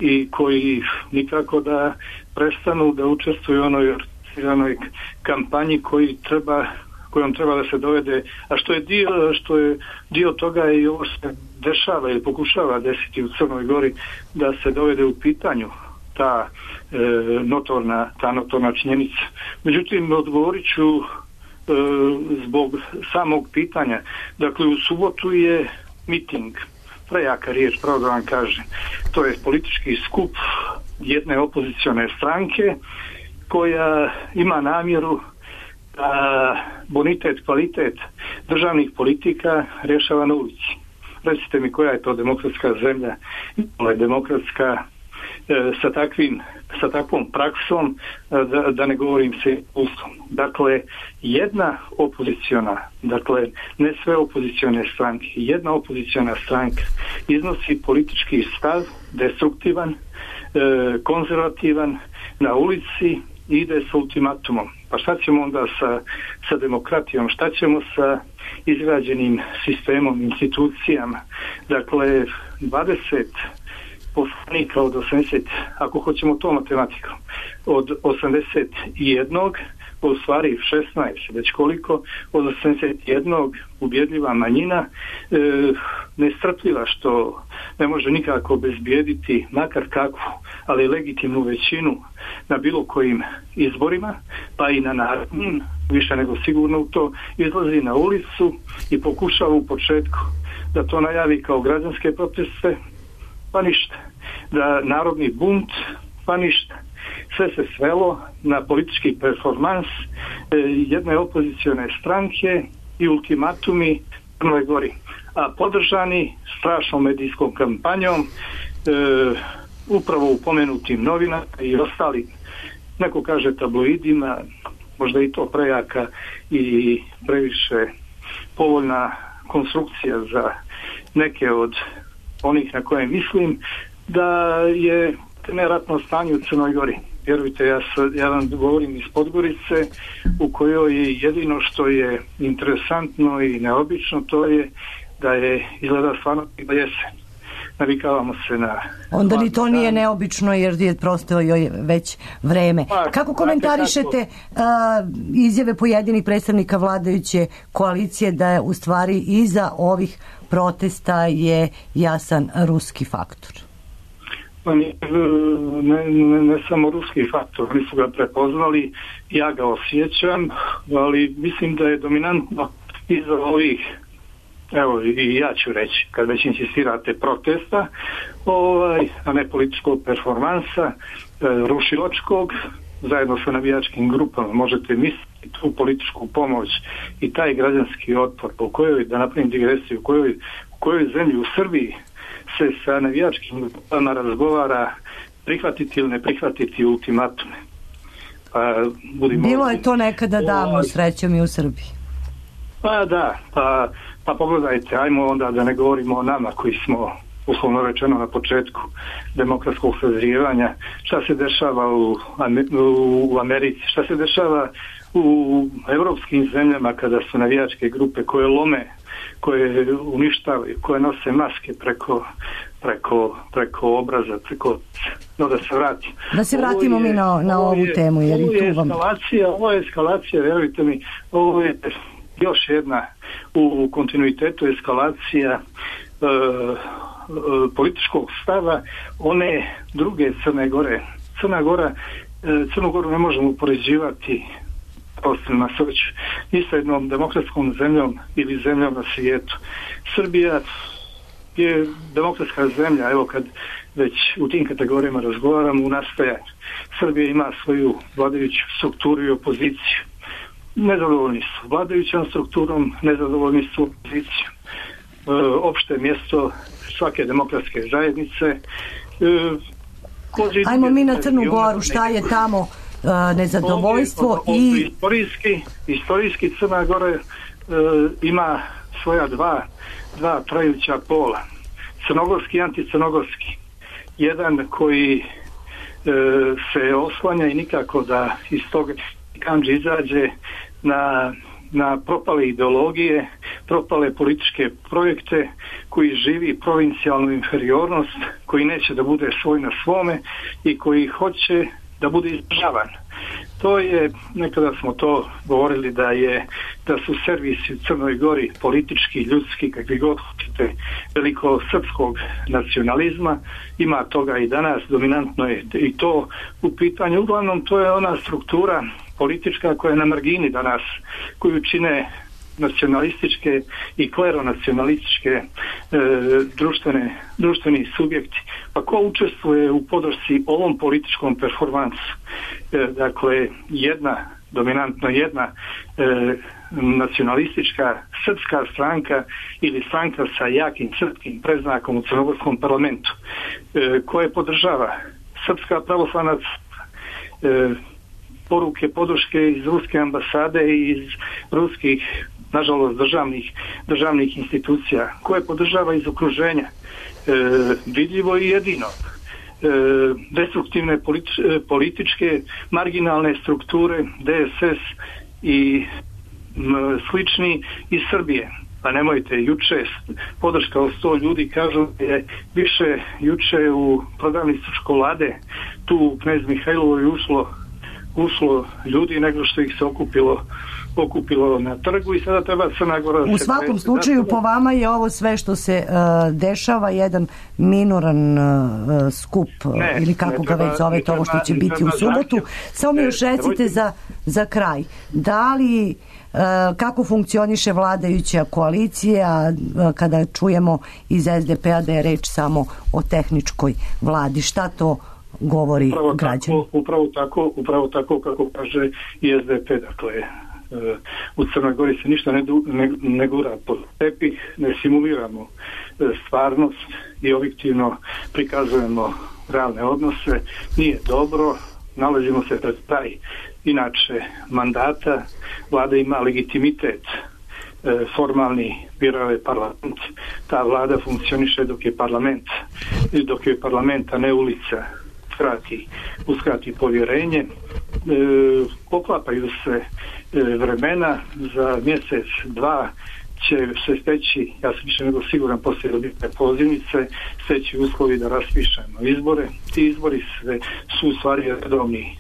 i koji nikako da prestanu da učestvuju u onoj organiziranoj kampanji kojom treba da se dovede, a što je dio toga i ovo se dešava ili pokušava desiti u Crnoj Gori, da se dovede u pitanju ta notorna činjenica. Međutim, odgovorit ću zbog samog pitanja. Dakle, u subotu je miting, prejaka riječ, pravo da vam kažem. To je politički skup jedne opozicione stranke koja ima namjeru da bonitet, kvalitet državnih politika rješava na ulici. Recite mi koja je to demokratska zemlja, demokratska sa takvom praksom, da ne govorim se ustom. Dakle, jedna opoziciona, dakle ne sve opozicione stranke, jedna opoziciona stranka iznosi politički stav, destruktivan, konzervativan, na ulici i ide sa ultimatumom. Pa šta ćemo onda sa demokratijom, šta ćemo sa izgrađenim sistemom, institucijama? Dakle, 20 poslanika od 80, ako hoćemo to matematikom, od 81, u stvari 16, već koliko, od 81 ubjedljiva manjina, nestrpljiva što ne može nikako obezbijediti makar kakvu, ali legitimnu većinu na bilo kojim izborima, pa i na narodnim, više nego sigurno u to, izlazi na ulicu i pokušava u početku da to najavi kao građanske proteste, pa ništa. Da narodni bunt, pa ništa. Sve se svelo na politički performans jedne opozicione stranke i ultimatumi Crnoj Gori. A podržani strašnom medijskom kampanjom, upravo u pomenutim novinama i ostali, neko kaže tabloidima, možda i to prejaka i previše povoljna konstrukcija za neke od onih na koje mislim, da je neratno stanje u Crnoj Gori. vjerujte, ja vam govorim iz Podgorice, u kojoj jedino što je interesantno i neobično to je da je izgleda stvarno jesen. Navikavamo se na... Onda ni to nije neobično jer je prosto joj već vreme. Kako komentarišete izjave pojedinih predstavnika vladajuće koalicije da je u stvari iza ovih protesta je jasan ruski faktor? Pa ne samo ruski faktor, oni su ga prepoznali, ja ga osjećam, ali mislim da je dominantno iza ovih, evo i ja ću reći, kad već insistirate, protesta, a ne političkog performansa, rušilačkog, zajedno sa navijačkim grupama, možete misliti tu političku pomoć i taj građanski otpor, po kojoj, da napravim digresiju, u kojoj zemlji u Srbiji se sa navijačkim grupama razgovara prihvatiti ili ne prihvatiti ultimatume. Bilo je to nekada davno, srećom, i u Srbiji. Pa da, pa pogledajte, ajmo onda da ne govorimo o nama koji smo, uslovno rečeno, na početku demokratskog sazrijevanja, šta se dešava u Americi, šta se dešava u evropskim zemljama kada su navijačke grupe koje lome, koje uništavaju, koje nose maske preko obraza, no da se vratim. Da se vratimo mi na ovu temu, jer i tu vam... Ovo je eskalacija, vjerujte mi, ovo je još jedna u kontinuitetu eskalacija političkog stava one druge Crne Gore. Crnu Goru ne možemo upoređivati na sreću ni sa jednom demokratskom zemljom ili zemljom na svijetu. Srbija je demokratska zemlja, evo kad već u tim kategorijama razgovaramo, u nastajanju. Srbija ima svoju vladajuću strukturu i opoziciju. Nezadovoljni su vladajućom strukturom, nezadovoljni su opozicijom. Opšte mjesto svake demokratske zajednice. Ajmo mi na Crnu Goru, šta je tamo nezadovoljstvo i... Istorijski Crna Gora ima svoja dva trajuća pola. Crnogorski i anticrnogorski. Jedan koji se oslanja i nikako da iz toga kanđe izađe na propale ideologije, propale političke projekte, koji živi provincijalnu inferiornost, koji neće da bude svoj na svome i koji hoće da bude izdržavan. To je, nekada smo to govorili da su servisi u Crnoj Gori politički, ljudski, kakvi god hoćete, veliko srpskog nacionalizma. Ima toga i danas, dominantno je i to u pitanju. Uglavnom, to je ona struktura politička koja je na margini danas, koju čine nacionalističke i kleronacionalističke društveni subjekti. Pa ko učestvuje u podršci ovom političkom performansu? Dakle, dominantno jedna nacionalistička srpska stranka ili stranka sa jakim srpskim predznakom u crnogorskom parlamentu, koje podržava Srpska pravoslavna poruke, podrške iz ruske ambasade i iz ruskih, nažalost, državnih institucija, koje podržava iz okruženja, vidljivo i jedino, destruktivne političke marginalne strukture, DSS i slični iz Srbije. Pa nemojte, juče podrška od 100 ljudi, kažu je više juče u prodavnicu čokolade, tu u Knez Mihajlovoj ušlo ljudi nego što ih se okupilo na trgu i sada treba Crna Gora... U svakom slučaju, po vama je ovo sve što se dešava jedan minoran skup, ili kako ga već zovete, ovo što će biti u subotu. Samo mi još recite za kraj, da li kako funkcioniše vladajuća koalicija kada čujemo iz SDP-a da je reč samo o tehničkoj vladi? Šta to govori građani? Upravo tako kako kaže i SDP. Dakle, u Crnoj Gori se ništa ne gura pod tepih, ne simuliramo stvarnost i objektivno prikazujemo realne odnose. Nije dobro, nalazimo se pred taj inače mandata, vlada ima legitimitet formalni, birao je parlament, ta vlada funkcioniše dok je parlament, a ne ulica. uskrati povjerenje. Poklapaju se vremena, za mjesec, dva će se steći, ja sam više nego siguran poslije dobitne pozivnice, steći uslovi da raspišemo izbore. Ti izbori su u stvari redovni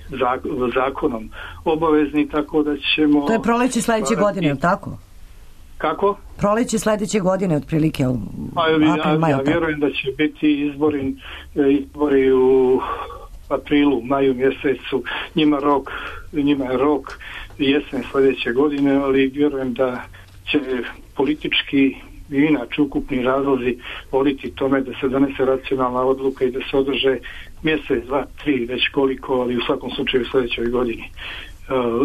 zakonom obavezni, tako da ćemo... To je proleće sljedeće godine, je tako? Kako? Proleće sljedeće godine, otprilike. Ja vjerujem da će biti izbori u aprilu, maju mjesecu. Njima je rok jesen sljedeće godine, ali vjerujem da će politički i inače ukupni razlozi voditi tome da se donese racionalna odluka i da se održe mjesec, dva, tri, već koliko, ali u svakom slučaju u sljedećoj godini.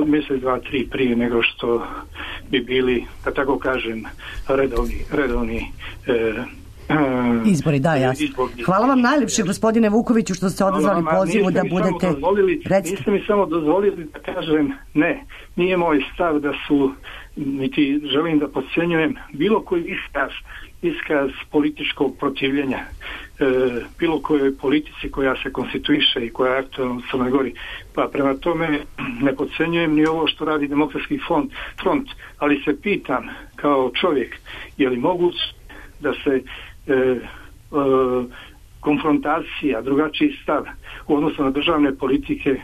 Mjesec, dva, tri prije nego što bi bili, da tako kažem, redovni izbori, da, jasno. Hvala vam najljepše, gospodine Vukoviću, što ste odazvali pozivu da budete... Niste mi samo dozvolili da kažem ne. Nije moj stav da su, niti želim da podcjenjujem bilo koji iskaz političkog protivljenja bilo kojoj politici koja se konstituiše i koja je aktualna u Crnoj Gori. Pa prema tome ne podcjenjujem ni ovo što radi Demokratski front, ali se pitam kao čovjek, je li moguće da se konfrontacija, drugačiji stav u odnosu na državne politike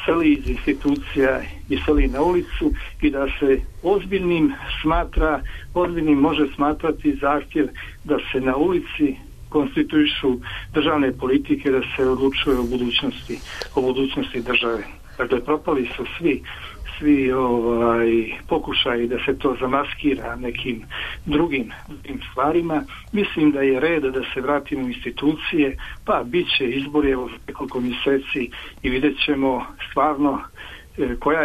seli iz institucija i seli na ulicu i da se ozbiljnim može smatrati zahtjev da se na ulici konstituišu državne politike, da se odlučuje o budućnosti države. Dakle, propali su svi pokušaji da se to zamaskira nekim drugim stvarima. Mislim da je red da se vratimo u institucije, pa bit će izbori evo nekoliko mjeseci i vidjet ćemo stvarno koje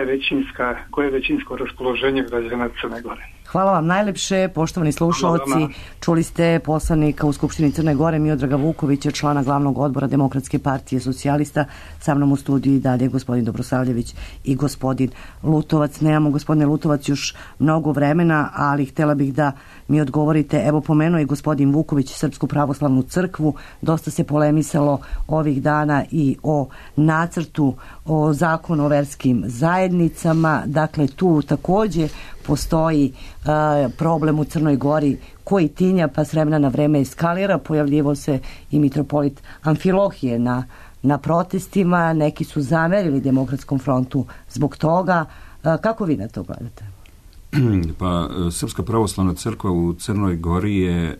je većinsko raspoloženje građana Crne Gore. Hvala vam najlepše, poštovani slušalci. Čuli ste poslanika u Skupštini Crne Gore Miodraga Vukovića, člana glavnog odbora Demokratske partije socijalista. Sa mnom u studiju i dalje gospodin Dobrosavljević i gospodin Lutovac. Nemamo, gospodine Lutovac, još mnogo vremena, ali htjela bih da mi odgovorite. Evo, pomenuo je gospodin Vuković Srpsku pravoslavnu crkvu. Dosta se polemisalo ovih dana i o nacrtu o zakonu o verskim zajednicama. Dakle, tu također postoji problem u Crnoj Gori koji tinja pa s vremena na vreme eskalira. Pojavljivo se i mitropolit Amfilohije na protestima. Neki su zamerili Demokratskom frontu zbog toga. Kako vi na to gledate? Pa Srpska pravoslavna crkva u Crnoj Gori je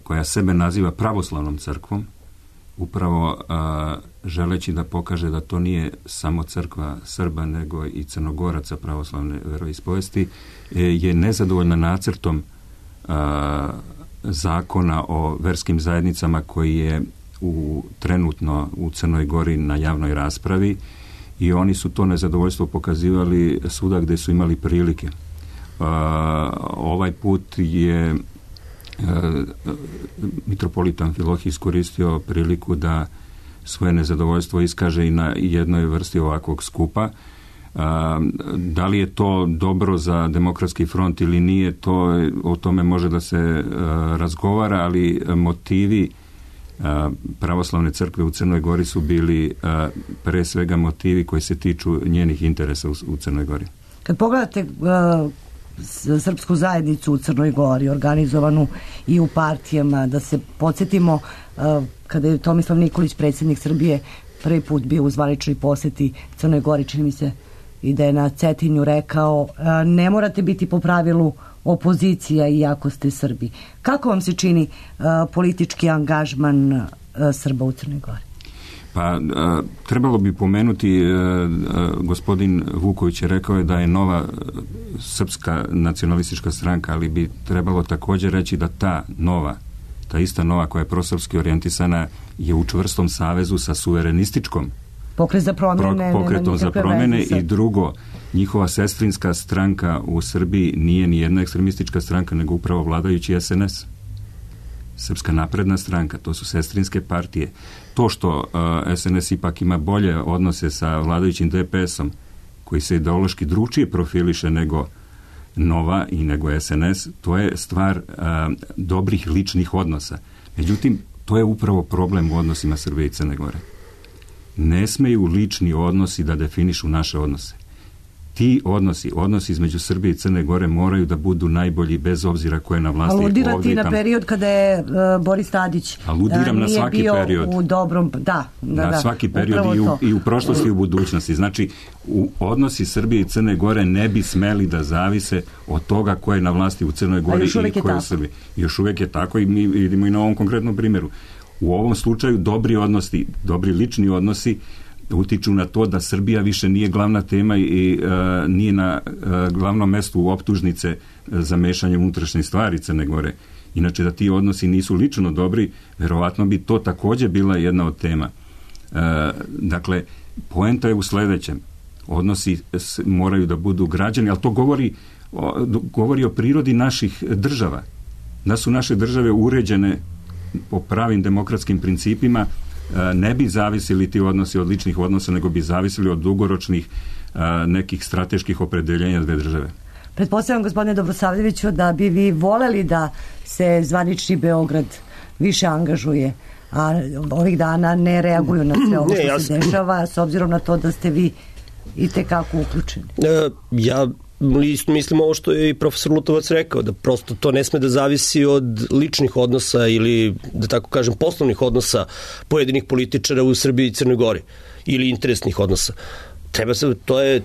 koja sebe naziva pravoslavnom crkvom, upravo želeći da pokaže da to nije samo crkva Srba nego i Crnogoraca pravoslavne veroispovesti, je nezadovoljna nacrtom zakona o verskim zajednicama koji je trenutno u Crnoj Gori na javnoj raspravi i oni su to nezadovoljstvo pokazivali svuda gdje su imali prilike. Ovaj put je mitropolit Amfilohije iskoristio priliku da svoje nezadovoljstvo iskaže i na jednoj vrsti ovakvog skupa. Da li je to dobro za Demokratski front ili nije, o tome može da se razgovara, ali motivi pravoslavne crkve u Crnoj Gori su bili pre svega motivi koji se tiču njenih interesa u Crnoj Gori. Kad pogledate srpsku zajednicu u Crnoj Gori, organizovanu i u partijama, da se podsjetimo kada je Tomislav Nikolić, predsjednik Srbije, prvi put bio u zvaničnoj posjeti Crnoj Gori, čini mi se i da je na Cetinju rekao ne morate biti po pravilu opozicija iako ste Srbi. Kako vam se čini politički angažman Srba u Crnoj Gori? Pa trebalo bi pomenuti, gospodin Vuković je rekao da je nova srpska nacionalistička stranka, ali bi trebalo također reći da ta ista nova koja je prosrpski orijentisana je u čvrstom savezu sa suverenističkom pokretom za promjene i drugo, njihova sestrinska stranka u Srbiji nije ni jedna ekstremistička stranka, nego upravo vladajući SNS. Srpska napredna stranka, to su sestrinske partije. To što SNS ipak ima bolje odnose sa vladajućim DPS-om, koji se ideološki drugačije profiliše nego Nova i nego SNS, to je stvar dobrih ličnih odnosa. Međutim, To je upravo problem u odnosima Srbije i Crne Gore. Ne smeju lični odnosi da definišu naše odnose. Ti odnosi između Srbije i Crne Gore moraju da budu najbolji bez obzira ko je na vlasti. Aludirati na period kada je Boris Tadić aludiram na svaki bio period. U dobrom, na svaki period i u prošlosti i u budućnosti. Znači, odnosi Srbije i Crne Gore ne bi smeli da zavise od toga ko je na vlasti u Crnoj Gori i ko je u Srbiji. Još uvijek je tako i mi vidimo i na ovom konkretnom primjeru. U ovom slučaju dobri lični odnosi utiču na to da Srbija više nije glavna tema i nije na glavnom mestu optužnice za mešanje unutrašnje stvari Crne Gore. Inače, da ti odnosi nisu lično dobri, verovatno bi to također bila jedna od tema. Dakle, poenta je u sledećem. Odnosi moraju da budu građani, ali to govori o prirodi naših država. Da su naše države uređene po pravim demokratskim principima, ne bi zavisili ti odnosi od ličnih odnosa, nego bi zavisili od dugoročnih nekih strateških opredeljenja dve države. Pretpostavljam, gospodine Dobrosavljeviću, da bi vi voleli da se zvanični Beograd više angažuje, a ovih dana ne reaguju na sve ovo što se dešava, s obzirom na to da ste vi i tekako uključeni. Ja mislim ovo što je i profesor Lutovac rekao, da prosto to ne sme da zavisi od ličnih odnosa ili, da tako kažem, poslovnih odnosa pojedinih političara u Srbiji i Crnoj Gori ili interesnih odnosa.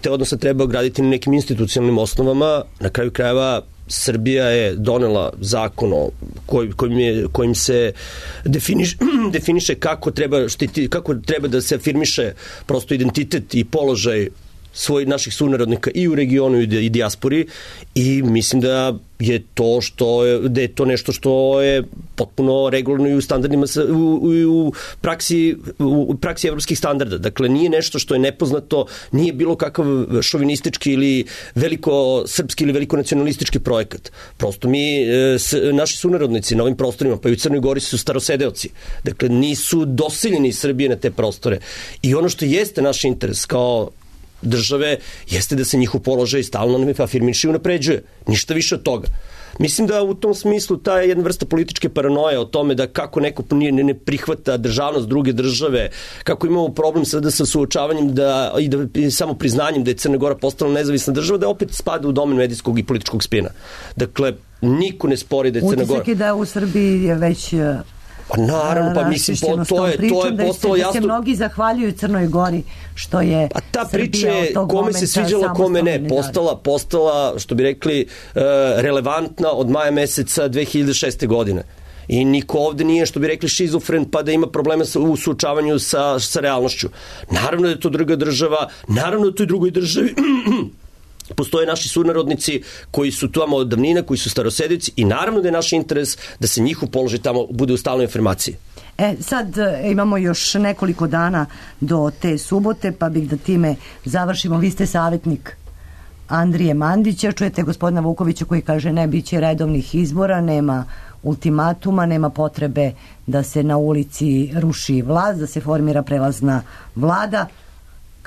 Te odnose treba graditi na nekim institucionalnim osnovama. Na kraju krajeva Srbija je donela zakon kojim se definiše kako treba da se afirmiše prosto identitet i položaj naših sunarodnika i u regionu i dijaspori, i mislim da je to nešto što je potpuno regularno i u standardima u praksi evropskih standarda. Dakle, nije nešto što je nepoznato, nije bilo kakav šovinistički ili velikosrpski ili velikonacionalistički projekat. Prosto naši sunarodnici na ovim prostorima, pa i u Crnoj Gori, su starosedeoci. Dakle, nisu dosiljeni iz Srbije na te prostore. I ono što jeste naš interes kao države jeste da se njihov položaj stalno afirmiše i unapređuje. Ništa više od toga. Mislim da u tom smislu ta je jedna vrsta političke paranoje o tome da kako neko ne prihvata državnost druge države, kako imamo problem sada sa suočavanjem i samo priznanjem da je Crna Gora postala nezavisna država, da opet spada u domen medijskog i političkog spina. Dakle, niko ne spori da je Crna Gora... Utisak je da u Srbiji je već... Naravno, pa mislim, to je postalo jasno. Da se mnogi zahvaljuju Crnoj Gori što je Srbija od tog momenta... A ta priča je, kome se sviđala, kome ne, postala, što bi rekli, relevantna od maja meseca 2006. godine. I niko ovde nije, što bi rekli, šizofren, pa da ima problema u suočavanju sa realnošću. Naravno da je to druga država, naravno da je to i drugoj državi... Postoje naši sunarodnici koji su tamo od davnina, koji su starosedeoci, i naravno da je naš interes da se njihov položaj tamo bude u stalnoj afirmaciji. Sad imamo još nekoliko dana do te subote, pa bih da time završimo. Vi ste savjetnik Andrije Mandića, čujete gospodina Vukovića koji kaže ne biće redovnih izbora, nema ultimatuma, nema potrebe da se na ulici ruši vlast, da se formira prelazna vlada.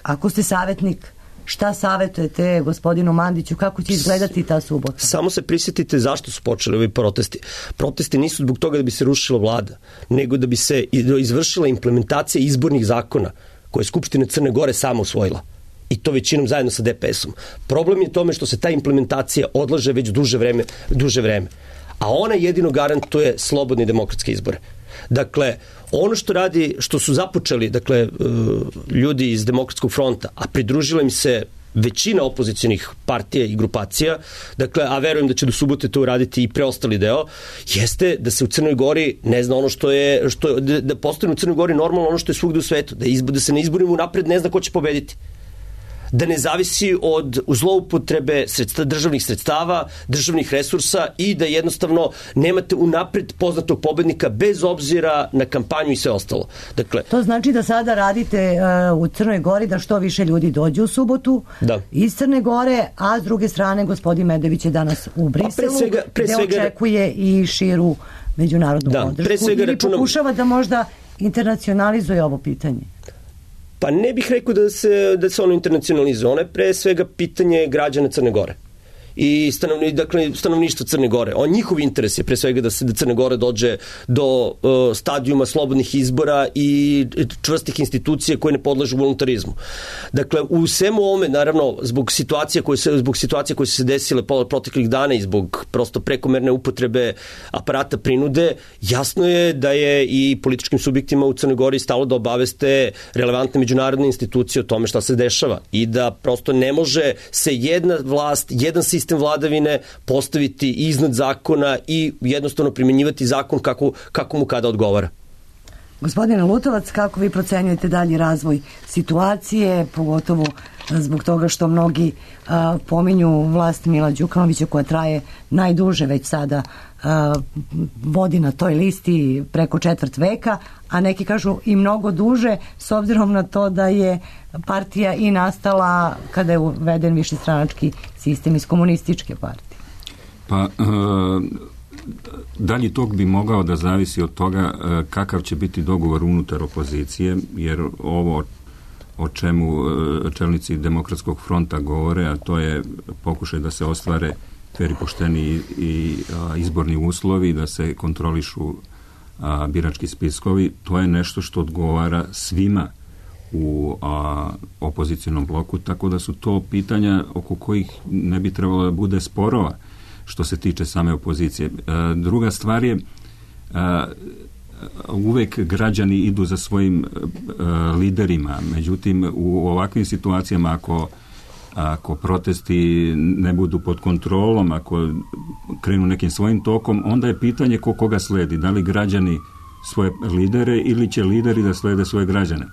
Ako ste savjetnik, šta savjetujete gospodinu Mandiću, kako će izgledati ta subota? Samo se prisjetite zašto su počeli ovi protesti. Protesti nisu zbog toga da bi se rušila vlada, nego da bi se izvršila implementacija izbornih zakona koje je Skupština Crne Gore sama usvojila. I to većinom zajedno sa DPS-om. Problem je tome što se ta implementacija odlaže već duže vreme. A ona jedino garantuje slobodne demokratske izbore. Dakle, ono što su započeli, dakle, ljudi iz Demokratskog fronta, a pridružila im se većina opozicionih partija i grupacija, dakle, a verujem da će do subote to uraditi i preostali deo, jeste da se u Crnoj Gori ne zna ono da postane u Crnoj Gori normalno ono što je svugde u svetu, da se ne izborimo unapred ne zna ko će pobediti. Da ne zavisi od zloupotrebe državnih sredstava, državnih resursa, i da jednostavno nemate unapred poznatog pobednika bez obzira na kampanju i sve ostalo. Dakle, to znači da sada radite u Crnoj Gori da što više ljudi dođe u subotu iz Crne Gore, a s druge strane gospodin Medević je danas u Briselu, gde očekuje i širu međunarodnu podršku. Ili pokušava da možda internacionalizuje ovo pitanje? Pa ne bih rekao da se ono internacionalizuje. Ono je pre svega pitanje građana Crne Gore. i stanovništva Crne Gore. Njihov interes je pre svega da Crna Gora dođe do stadijuma slobodnih izbora i čvrstih institucija koje ne podležu voluntarizmu. Dakle, u svemu ovome, naravno, zbog situacije koje su se desile proteklih dana i zbog prosto prekomerne upotrebe aparata prinude, jasno je da je i političkim subjektima u Crnoj Gori stalo da obaveste relevantne međunarodne institucije o tome šta se dešava i da prosto ne može se jedna vlast, jedan sistem vladavine postaviti iznad zakona i jednostavno primjenjivati zakon kako mu kada odgovara. Gospodine Lutovac, kako vi procenjujete dalji razvoj situacije, pogotovo zbog toga što mnogi pominju vlast Mila Đukanovića koja traje najduže već sada, vodi na toj listi preko četvrt veka, a neki kažu i mnogo duže s obzirom na to da je partija i nastala kada je uveden višestranački sistem iz komunističke partije. Pa dalji tok bi mogao da zavisi od toga kakav će biti dogovor unutar opozicije, jer ovo o čemu čelnici Demokratskog fronta govore, a to je pokušaj da se ostvare fer i pošteni i izborni uslovi, da se kontrolišu birački spiskovi, to je nešto što odgovara svima u opozicionom bloku, tako da su to pitanja oko kojih ne bi trebalo da bude sporova što se tiče same opozicije. Druga stvar je, uvek građani idu za svojim liderima, međutim u ovakvim situacijama ako protesti ne budu pod kontrolom, ako krenu nekim svojim tokom, onda je pitanje koga sledi, da li građani svoje lidere ili će lideri da slede svoje građane.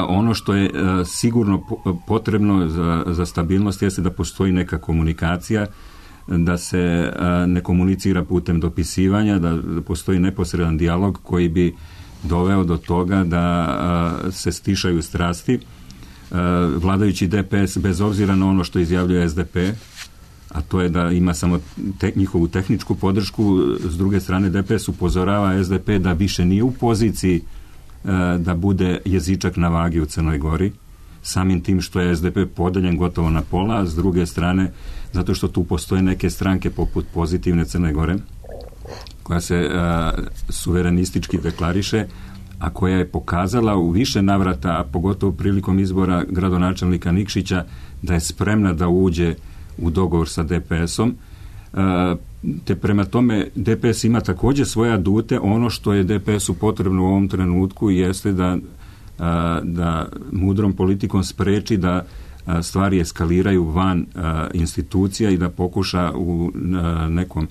Ono što je sigurno potrebno za stabilnost jeste da postoji neka komunikacija, da se ne komunicira putem dopisivanja, da postoji neposredan dijalog koji bi doveo do toga da se stišaju strasti. Vladajući DPS, bez obzira na ono što izjavljuje SDP, a to je da ima samo njihovu tehničku podršku, s druge strane DPS upozorava SDP da više nije u poziciji da bude jezičak na vagi u Crnoj Gori, samim tim što je SDP podeljen gotovo na pola, a s druge strane zato što tu postoje neke stranke poput Pozitivne Crne Gore, koja se suverenistički deklariše, a koja je pokazala u više navrata, a pogotovo prilikom izbora gradonačelnika Nikšića, da je spremna da uđe u dogovor sa DPS-om. Te prema tome DPS ima također svoje adute. Ono što je DPS-u potrebno u ovom trenutku jeste da mudrom politikom spreči da stvari eskaliraju van institucija i da pokuša u nekom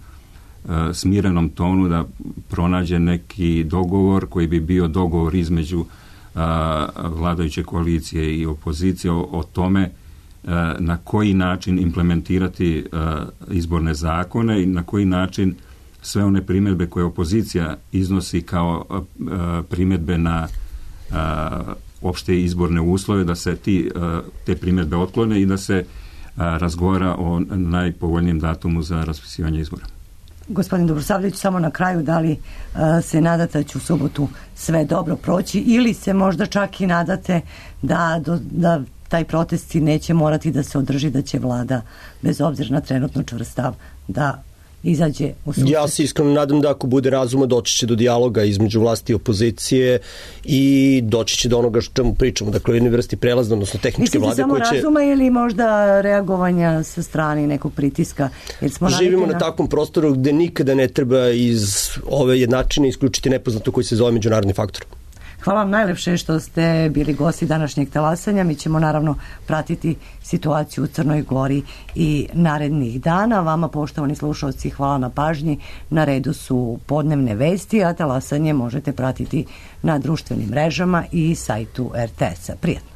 smirenom tonu da pronađe neki dogovor koji bi bio dogovor između vladajuće koalicije i opozicije o tome na koji način implementirati izborne zakone i na koji način sve one primjedbe koje opozicija iznosi kao primjedbe na opšte izborne uslove, da se te primjedbe otklone i da se razgovara o najpovoljnijem datumu za raspisivanje izbora. Gospodin Dobrosavljević, samo na kraju, da li se nadate da će u subotu sve dobro proći ili se možda čak i nadate da taj protesti neće morati da se održi, da će vlada, bez obzira na trenutno čvrst stav, da izađe u susret? Ja se iskreno nadam da ako bude razuma doći će do dijaloga između vlasti i opozicije i doći će do onoga što čemu pričamo, dakle jedne vrsti prelazne, odnosno tehničke vlade koje će... Mislite samo razuma ili možda reagovanja sa strane nekog pritiska? Jer smo živimo na takvom prostoru gde nikada ne treba iz ove jednačine isključiti nepoznato koji se zove međunarodni faktor. Hvala vam najlepše što ste bili gosti današnjeg talasanja. Mi ćemo naravno pratiti situaciju u Crnoj Gori i narednih dana. Vama, poštovani slušalci, hvala na pažnji. Na redu su podnevne vesti, a talasanje možete pratiti na društvenim mrežama i sajtu RTS-a. Prijatno.